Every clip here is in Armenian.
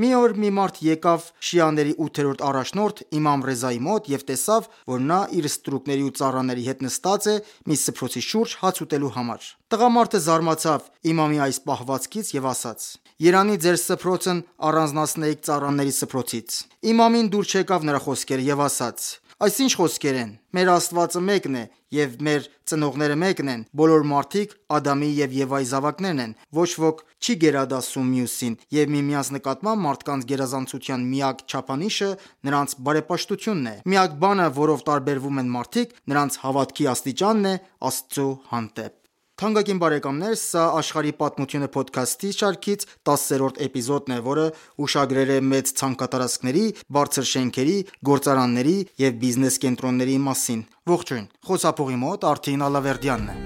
Մի օր մի մարդ եկավ շիաների 8-րդ առաջնորդ իմամ Ռեզայի մոտ և տեսավ, որ նա իր ստրուկների ու ծառաների հետ նստած է մի սփռոցի շուրջ հաց ուտելու համար։ Տղամարդը զարմացավ իմամի այս պահվածքից և ասաց. «Երանի ձեր սփռոցն առանձնացնեիք ծառաների սփռոցից»։ Իմամին դուր չեկավ նրա խոսքերը և ասաց. «Այս ի՞նչ խոսքեր են: Մեր Աստվածը մեկն է, և մեր ծնողները մեկն են: Բոլոր մարդիկ Ադամի և Եվայի զավակներն են: Ոչ ոք չի գերադասում մյուսին, և միմյանց նկատմամբ մարդկանց գերազանցության միակ չափանիշը նրանց բարեպաշտությունն է: Միակ բանը, որով տարբերվում են մարդիկ, նրանց հավատքի աստիճանն է Աստծու հանդեպ»: Թանկագին բարեկամներ, սա «Աշխարհի պատմությունը» փոդքասթի շարքից 10-րդ էպիզոդն է, որը ուշագրել է մեծ ցանկատարածքների, բարձր շենքերի, գործարանների և բիզնես կենտրոնների մասին: Ողջույն, խոսափողի մոտ Արթին Ալավերդյանն է: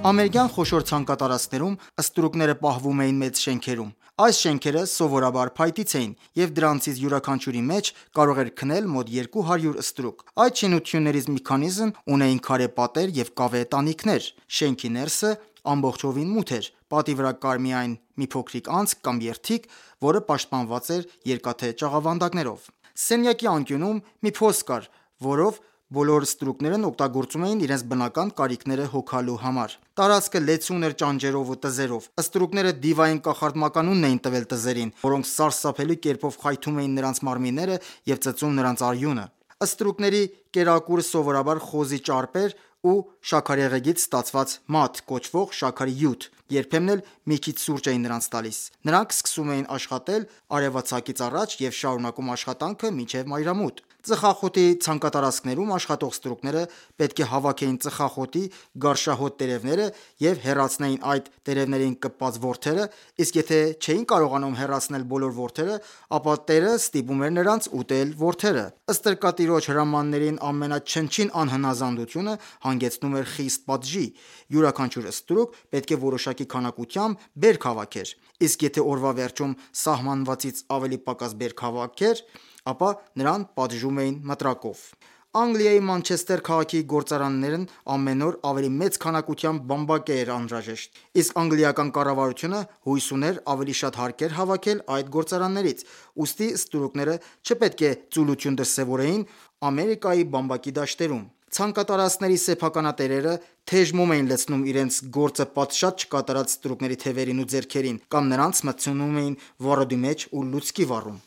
Ամերիկյան խոշոր ցանկատարածքներում ստրուկները պահվում էին մեծ շենքերում: Այս շենքերը սովորաբար փայտից էին, և դրանցից յուրաքանչյուրի մեջ կարող էր քնել մոտ 200 ստրուկ: Այդ շինություններից մի քանիսն ունեին քարե պատեր և կավե տանիքներ: Շենքի ներսը ամբողջովին մութ էր: Պատի վրա կար միայն մի փոքրիկ անցք կամ երդիկ, որը պաշտպանված էր երկաթե ճաղավանդակներով: Սենյակի անկյունում մի փոս կար, որով բոլոր ստրուկներն օգտագործում էին իրենց բնական կարիքները հոգալու համար: Տարածքը լեցուն էր ճանճերով ու տզերով: Ստրուկները դիվային կախարդականություն էին տվել տզերին, որոնք սարսափելի կերպով խայթում էին նրանց մարմինները և ծծում նրանց արյունը: Ստրուկների կերակուրը սովորաբար խոզի ճարպ էր ու շաքարեղեգից ստացված մադ կոչվող շաքարի հյութ, երբեմն էլ մի քիչ սուրճ էին նրանց տալիս: Նրանք սկսում էին աշխատել արևածագից առաջ և շարունակում աշխատանքը մինչև մայրամուտ: Ծխախոտի ցանկատարածքներում աշխատող ստրուկները պետք է հավաքեին ծխախոտի գարշահոտ տերևները և հեռացնեին այդ տերևներին կպած որդերը, իսկ եթե չէին կարողանում հեռացնել բոլոր որդերը, ապա տերը ստիպում էր նրանց ուտել որդերը: Ստրկատիրոջ հրամաններին ամենաչնչին անհնազանդությունը հանգեցնում էր խիստ պատժի: Յուրաքանչյուր ստրուկ պետք է որոշակի քանակությամբ բերք հավաքեր, իսկ եթե օրվա վերջում սահմանվածից ավելի պակաս բերք հավաքեր, ապա նրան պատժում էին մտրակով: Անգլիայի Մանչեսթեր քաղաքի գործարաններն ամեն օր ավելի մեծ քանակությամբ բամբակե էր անհրաժեշտ, իսկ անգլիական կառավարությունը հույս ուներ ավելի շատ հարկեր հավաքել այդ գործարաններից, ուստի ստրուկները չպետք է ծուլություն դրսևորեին Ամերիկայի բամբակի դաշտերում: Ցանկատարածքների սեփականատերերը թեժ մոմ էին լցնում իրենց գործը պատշաճ չկատարած ստրուկների թևերին ու ձեռքերին կամ նրանց մտցնում էին վառոդի մեջ ու լուցկի վառում: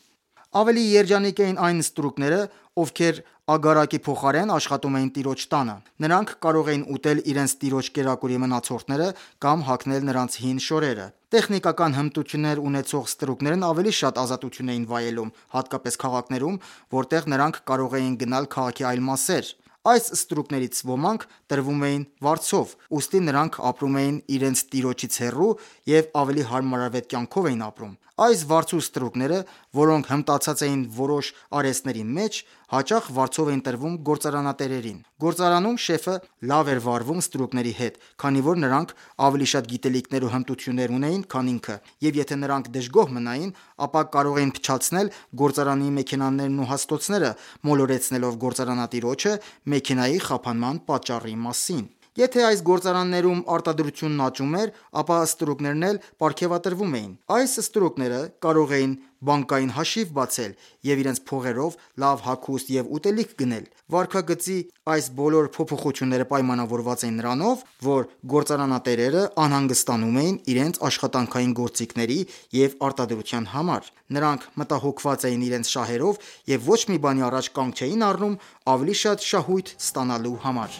Ավելի երջանիկ էին այն ստրուկները, ովքեր ագարակի փոխարեն աշխատում էին տիրոջ տանը: Նրանք կարող էին ուտել իրենց տիրոջ կերակուրի մնացորդները կամ հագնել նրանց հին շորերը: Տեխնիկական հմտություններ ունեցող ստրուկներն ավելի շատ ազատություն էին վայելում, հատկապես քաղաքներում, որտեղ նրանք կարող էին գնալ քաղաքի այլ մասեր: Այս ստրուկներից ոմանք տրվում էին վարձով, ուստի նրանք ապրում էին իրենց տիրոջից հեռու և ավելի հարմարավետ կյանքով էին ապրում: Այս վարձու ստրուկները, որոնք հմտացած էին որոշ արհեստների մեջ, հաճախ վարձով էին տրվում գործարանատերերին: Գործարանում շեֆը լավ էր վարվում ստրուկների հետ, քանի որ նրանք ավելի շատ գիտելիքներ ու հմտություններ ունեին, քան ինքը, և եթե նրանք դժգոհ մնային, ապա կարող էին փչացնել գործարանի մեքենաներն ու հաստոցները, մոլորեցնելով գործարանատիրոջը մեքենայի խափանման պատճառի մասին: Եթե այս գործարաններում արտադրությունն աճում էր, ապա ստրուկներն էլ պարգևատրվում էին: Այս ստրուկները կարող էին բանկային հաշիվ բացել և իրենց փողերով լավ հագուստ և ուտելիք գնել: Վարքագծի այս բոլոր փոփոխությունները պայմանավորված էին նրանով, որ գործարանատերերը անհանգստանում էին իրենց աշխատանքային գործիքների և արտադրության համար: Նրանք մտահոգված էին իրենց շահերով և ոչ մի բանի առաջ կանգ չէին առնում ավելի շատ շահույթ ստանալու համար: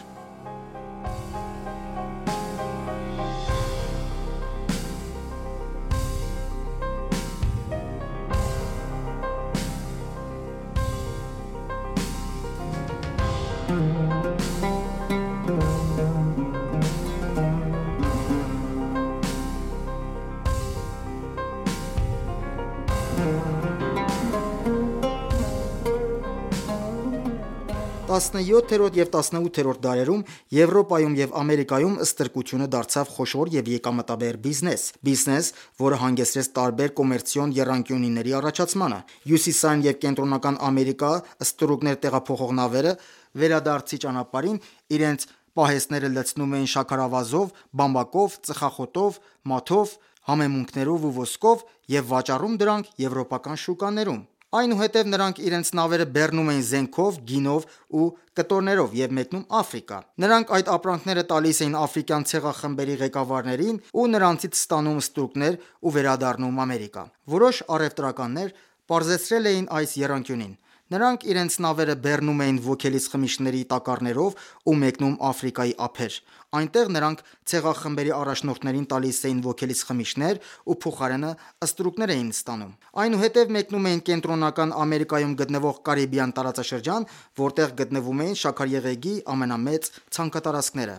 17-րդ և 18-րդ դարերում Եվրոպայում և Ամերիկայում ստրկությունը դարձավ խոշոր և եկամտաբեր բիզնես, որը հանգեցրեց տարբեր կոմերցիոն եռանկյունիների առաջացմանը։ Հյուսիսային և Կենտրոնական Ամերիկա ստրուկներ տեղափոխող նավերը վերադարձի ճանապարհին իրենց պահեստները լցնում էին շաքարավազով, բամբակով, ծխախոտով, մաթով, համեմունքներով ու ոսկով և վաճառում դրանք եվրոպական շուկաներում։ Այնուհետև նրանք իրենց նավերը բեռնում էին զենքով, գինով ու կտորներով և մեկնում Աֆրիկա։ Նրանք այդ ապրանքները տալիս էին աֆրիկյան ցեղախմբերի ղեկավարներին ու նրանցից ստանում ստրուկներ ու վերադառնում Ամերիկա։ Որոշ առևտրականներ պարզեցրել էին այս եռանկյունին։ Նրանք իրենց նավերը բեռնում էին ոգելից խմիչքների տակառներով ու մեկնում Աֆրիկայի ափեր։ Այնտեղ նրանք ցեղախմբերի առաջնորդներին տալիս էին ոգելից խմիչքներ ու փոխարենը ստրուկներ էին ստանում։ Այնուհետև մեկնում էին Կենտրոնական Ամերիկայում գտնվող Կարիբյան տարածաշրջան, որտեղ գտնվում էին շաքարեղեգի ամենամեծ ցանքատարածքները։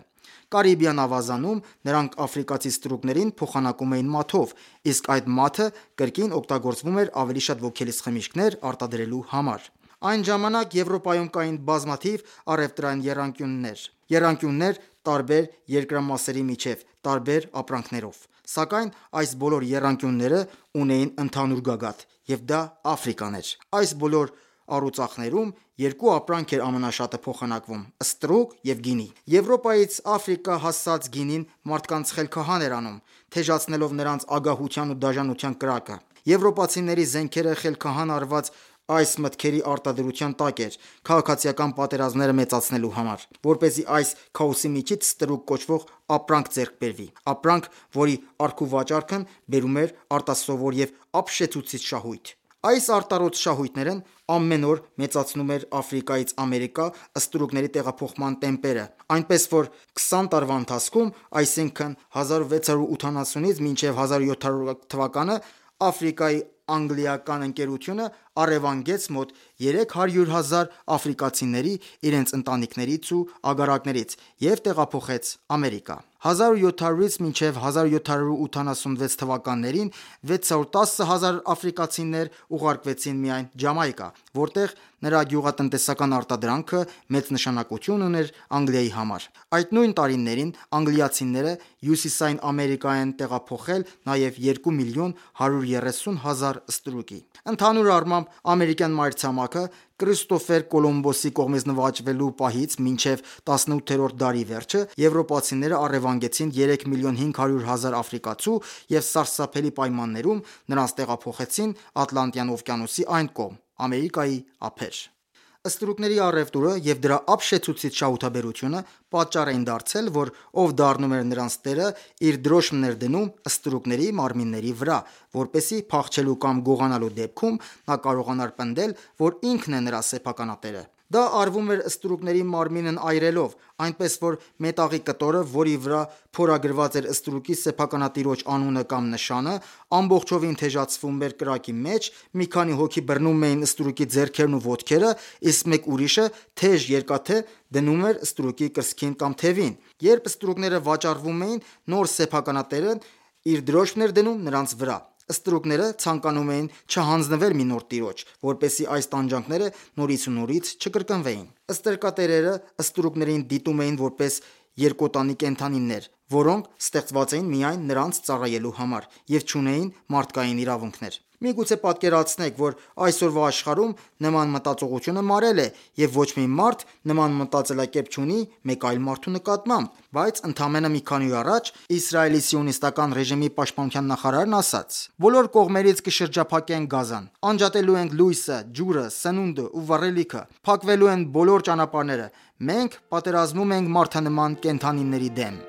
Կարիբյան ավազանում նրանք աֆրիկացի ստրուկներին փոխանակում էին մաթով, իսկ այդ մաթը կրկին օգտագործվում էր ավելի շատ ոգելից խմիչքներ արտադրելու համար։ Այն ժամանակ Եվրոպայում կային բազմաթիվ առևտրային եռանկյուններ տարբեր երկրամասերի միջև տարբեր ապրանքներով։ Սակայն այս բոլոր եռանկյունները ունեին ընդհանուր գագաթ, և դա Աֆրիկան էր։ Այս բոլոր առուծախներում երկու ապրանք էր ամենաշատը փոխանակվում՝ ստրուկ և գինի։ Եվրոպայից Աֆրիկա հասած գինին մարդկանց խելքահան էր անում, թեժացնելով նրանց ագահության ու դաժանության կրակը։ Եվրոպացիների զենքերը խելքահան արված այս մտքերի արտադրության տակ էր՝ քաղաքացիական պատերազմները մեծացնելու համար, որպեսզի այս քաոսի միջից ստրուկ կոչվող ապրանք ձեռք բերվի։ Ապրանք, որի առքուվաճառքն բերում էր արտասովոր և ապշեցուցիչ շահույթ։ Այս արտառոց շահույթներն ամեն օր մեծացնում էր Աֆրիկայից Ամերիկա ստրուկների տեղափոխման տեմպերը, այնպես որ 20 տարվա ընթացքում, այսինքն 1680-ից մինչև 1700 թվականը, Աֆրիկայի անգլիական ընկերությունը առևանգեց մոտ 300,000 աֆրիկացիների իրենց ընտանիքներից ու ագարակներից և տեղափոխեց Ամերիկա։ 1700-ից մինչև 1786 թվականներին 610,000 աֆրիկացիներ ուղարկվեցին միայն Ջամայկա, որտեղ նրա գյուղատնտեսական արտադրանքը մեծ նշանակություն ուներ Անգլիայի համար։ Այդ նույն տարիներին անգլիացիները Հյուսիսային Ամերիկա են տեղափոխել նաև 2,130,000 ստրուկի։ Ընդհանուր առմամբ, ամերիկյան մայրցամաքը Քրիստոֆեր Կոլումբոսի կողմից նվաճվելու պահից մինչև 18-րդ դարի վերջը եվրոպացիները առևանգեցին 3,500,000 աֆրիկացու և սարսափելի պայմաններում նրանց տեղափոխեցին Ատլանտյան օվկիանոսի այն կողմ՝ Ամերիկայի ափեր։ Ստրուկների առևտուրը և դրա ապշեցուցիչ շահութաբերությունը պատճառ էին դարձել, որ ով դառնում էր նրանց տերը, իր դրոշմն էր դնում ստրուկների մարմինների վրա, որպեսզի փախչելու կամ գողանալու դեպքում նա կարողանար պնդել, որ ինքն է նրա սեփականատերը։ Դա արվում էր ստրուկների մարմինն այրելով, այնպես որ մետաղի կտորը, որի վրա փորագրված էր ստրուկի սեփականատիրոջ անունը կամ նշանը, ամբողջովին թեժացվում էր կրակի մեջ, մի քանի հոգի բռնում էին ստրուկի ձեռքերն ու ոտքերը, իսկ մեկ ուրիշը թեժ երկաթե դնում էր ստրուկի կրծքին կամ թևին։ Երբ ստրուկները վաճառվում էին, նոր սեփականատերն իր դրոշմն էր դնում նրանց վրա։ Ստրուկները ցանկանում էին չհանձնվել մի նոր տիրոջ, որպեսզի այս տանջանքները նորից ու նորից չկրկնվեին։ Ստրկատերերը ստրուկներին դիտում էին որպես երկոտանի կենդանիներ, որոնք ստեղծված էին միայն նրանց ծառայելու համար և չունեին մարդկային իրավունքներ։ Միգուցե պատկերացնեք, որ այսօրվա աշխարհում նման մտածողությունը մարել է, և ոչ մի մարդ նման մտածելակերպ չունի մեկ այլ մարդու նկատմամբ։ Բայց ընդամենը մի քանի օր առաջ Իսրայելի սիոնիստական ռեժիմի պաշտպանության նախարարն ասաց. «Բոլոր կողմերից կշրջափակենք Գազան, անջատելու ենք լույսը, ջուրը, սնունդը ու վառելիքը, փակվելու են բոլոր ճանապարհները։ Մենք պատերազմում ենք մարդանման կենդանիների դեմ»։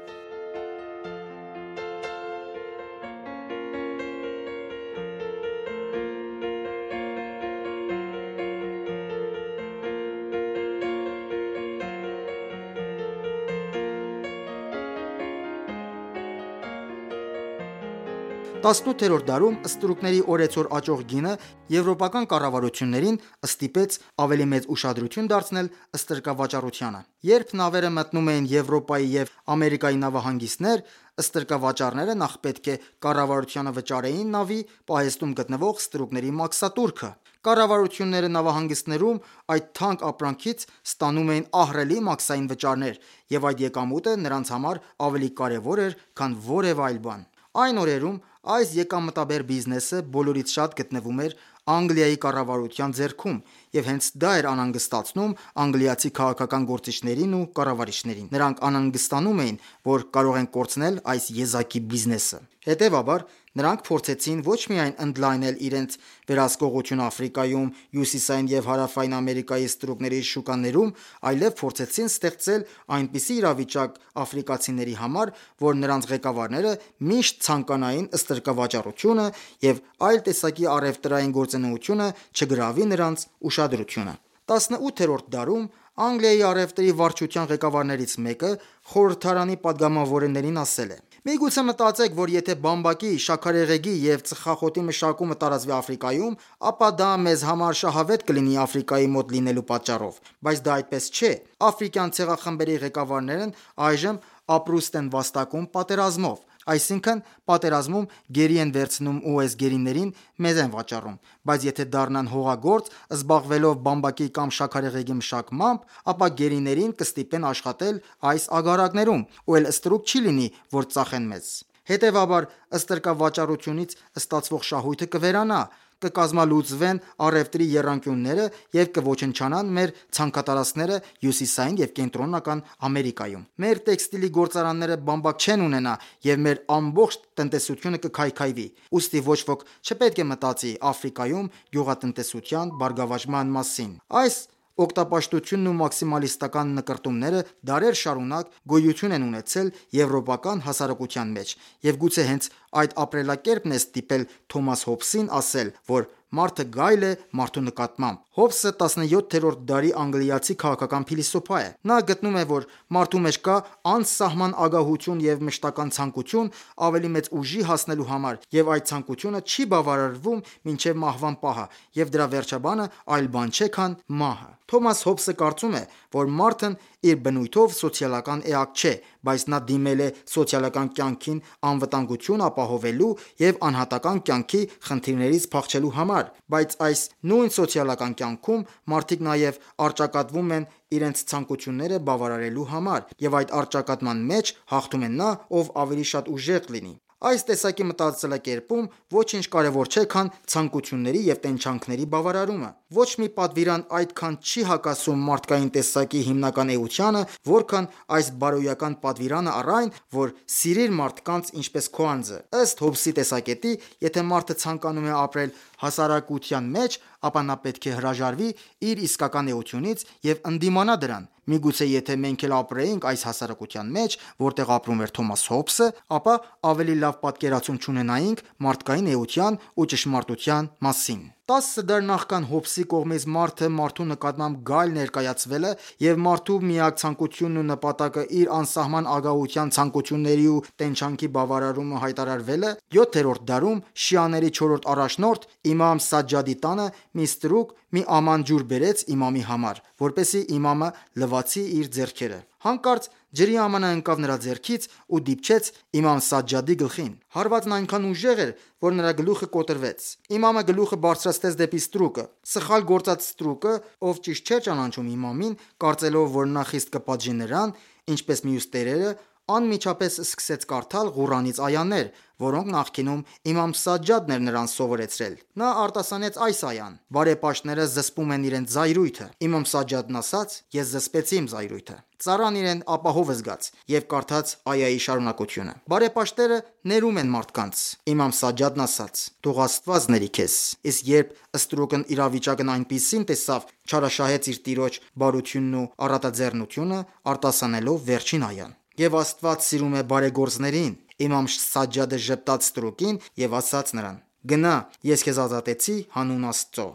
18-րդ դարում ստրուկների օրեցօր աճող գինը եվրոպական կառավարություններին ստիպեց ավելի մեծ ուշադրություն դարձնել ստրկավաճառությանը։ Երբ նավերը մտնում էին Եվրոպայի և Ամերիկայի նավահանգիստներ, ստրկավաճառները նախ պետք է կառավարությանը վճարեին նավի պահեստում գտնվող ստրուկների մաքսատուրքը։ Կառավարությունները նավահանգիստներում այդ թանկ ապրանքից ստանում էին ահռելի մաքսային վճարներ, և այդ եկամուտը նրանց համար ավելի կարևոր էր, քան որևէ այլ բան։ Այն օրերում այս եկամտաբեր բիզնեսը բոլորից շատ գտնվում էր Անգլիայի կառավարության ձեռքում, և հենց դա էր անհանգստացնում անգլիացի քաղաքական գործիչներին ու կառավարիչներին։ Նրանք անհանգստանում էին, որ կարող են կորցնել այս եզակի բիզնեսը։ Հետևաբար, նրանք փորձեցին ոչ միայն ընդլայնել իրենց վերահսկողությունը Աֆրիկայում, Հյուսիսային և Հարավային Ամերիկայի ստրուկների շուկաներում, այլև փորձեցին ստեղծել այնպիսի իրավիճակ աֆրիկացիների համար, որ նրանց ղեկավարները միշտ ցանկանային ստրկավաճառությունը և այլ տեսակի առևտրային գործունեությունը չգրավի նրանց ուշադրությունը։ 18-րդ դարում Անգլիայի առևտրի վարչության ղեկավարներից մեկը խորհրդարանի падգամավորներին ասել է. «Միգուցե մտածեք, որ եթե բամբակի, շաքարեղեգի և ծխախոտի մշակումը տարածվի Աֆրիկայում, ապա դա մեզ համար շահավետ կլինի Աֆրիկայի մոտ լինելու պատճառով, բայց դա այդպես չէ։ Աֆրիկյան ցեղախմբերի ղեկավարներն այժմ ապրուստ են վաստակում պատերազմով, այսինքն պատերազմում գերի են վերցնում ու այս գերիներին մեզ են վաճառում, բայց եթե դառնան հողագործ, զբաղվելով բամբակի կամ շաքարեղեգի մշակմամբ, ապա գերիներին կստիպեն աշխատել այս ագարակներում, ու էլ ստրուկ չի լինի, որ ծախեն մեզ։ Հետևաբար, ստրկավաճառությունից ստացվող շահույթը կվերանա, կկազմալուծվեն առևտրի եռանկյունները և կոչնչանան մեր ցանքատարածքները Հյուսիսային և Կենտրոնական Ամերիկայում։ Մեր տեքստիլի գործարանները բամբակ չեն ունենա, և մեր ամբողջ տնտեսությունը կքայքայվի։ Ուստի ոչ ոք չպետք է մտածի Աֆրիկայում գյուղատնտեսության բարգավաճման մասին»։ Այս օգտապաշտությունն ու մաքսիմալիստական նկրտումները դարեր շարունակ գոյություն են ունեցել եվրոպական հասարակության մեջ, և գուցե հենց այդ ապրելակերպն է ստիպել Թոմաս Հոբսին ասել, որ մարդը գայլ է մարդու նկատմամբ։ Հոբսը 17-րդ դարի անգլիացի քաղաքական փիլիսոփա է։ Նա գտնում է, որ մարդու մեջ կա անսահման ագահություն և մշտական ցանկություն ավելի մեծ ուժի հասնելու համար, և այդ ցանկությունը չի բավարարվում մինչև մահվան պահը, և դրա վերջաբանը այլ բան չէ, քան մահը։ Թոմաս Հոբսը կարծում է, որ մարդն իր բնույթով սոցիալական էակ չէ, բայց նա դիմել է սոցիալական կյանքին անվտանգություն ապահովելու և անհատական կյանքի խնդիրներից փախչելու համար, բայց այս նույն սոցիալական կյանքում մարդիկ նաև առճակատվում են իրենց ցանկությունները բավարարելու համար, և այդ առճակատման մեջ հաղթում է նա, ով ավելի շատ ուժեղ լինի։ Այս տեսակի մտածելակերպում ոչինչ կարևոր չէ, քան ցանկությունների և տենչանքների բավարարումը։ Ոչ մի պատվիրան այդքան չի հակասում մարդկային տեսակի հիմնական էությանը, որքան այս բարոյական պատվիրանը առ այն, որ սիրիր մարդկանց ինչպես քո անձը։ Ըստ Հոբսի տեսակետի, եթե մարդը ցանկանում է ապրել հասարակության մեջ, ապա նա պետք է հրաժարվի իր իսկական էությունից և ընդդիմանա դրան։ Միգուցե եթե մենք էլ ապրեինք այս հասարակության մեջ, որտեղ ապրում էր Թոմաս Հոբսը, ապա ավելի լավ պատկերացում չունենայինք մարդկային էության ու ճշմարտության մասին։ 10 դար նախքան Հոբսի կողմից մարդը մարդու նկատմամբ գայլ ներկայացվելը և մարդու միակ ցանկությունն ու նպատակը իր անսահման ագահության, ցանկությունների ու տենչանքի բավարարումը հայտարարվելը, 7-րդ դարում շիաների չորրորդ առաջնորդ իմամ Սաջադի տանը մի ստրուկ մի աման ջուր բերեց իմամի համար, որպեսզի իմամը լվացի իր ձեռքերը։ Հանկարծ ջրի ամանը ընկավ նրա ձեռքից ու դիպչեց իմամ Սաջադի գլխին։ Հարվածն այնքան ուժեղ էր, որ նրա գլուխը կոտրվեց։ Իմամը գլուխը բարձրացրեց դեպի ստրուկը։ Սխալ գործած ստրուկը, ով ճիշտ չէր ճանաչում իմամին, կարծելով, որ նա խիստ կպատժի նրան, ինչպես մյուս տերերը, անմիջապես սկսեց կարդալ Ղուրանից այաներ, որոնք նախկինում իմամ Սաջադն էր նրան սովորեցրել։ Նա արտասանեց այս այան. «Բարեպաշտները զսպում են իրենց զայրույթը»։ Իմամ Սաջադն ասաց. «Ես զսպեցի իմ զայրույթը»։ Ծառան իրեն ապահով զգաց և կարդաց այայի շարունակությունը. «Բարեպաշտները ներում են մարդկանց»։ Իմամ Սաջադն ասաց. «Թող Աստված ների քեզ»։ Իսկ երբ ստրուկն իրավիճակն այնպիսին տեսավ, չարաշահեց իր տիրոջ բարությունն ու առատաձեռնությունը, արտասանելով վերջին այան. «Եվ Աստված սիրում է բարեգործներին»։ Իմամ Սաջադը ժպտաց ստրուկին և ասաց նրան. «Գնա, ես քեզ ազատեցի հանուն Աստծո»։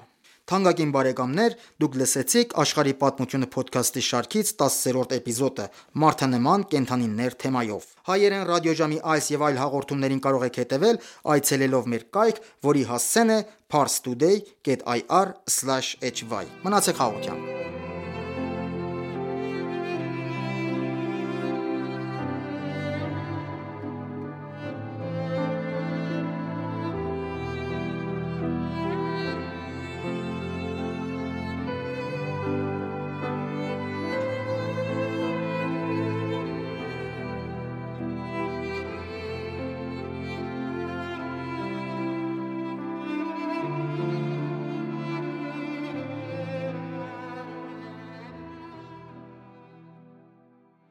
Թանկագին բարեկամներ, դուք լսեցիք Աշխարհի պատմությունը փոդքասթի շարքից 10-րդ էպիզոդը՝ Մարդանման կենդանիներ թեմայով։ Հայերեն ռադիոժամի այս եւ այլ հաղորդումներին կարող եք հետևել այցելելով մեր կայք, որի հասցեն է parstoday.ir/hy։ Մնացեք հաղորդությամբ։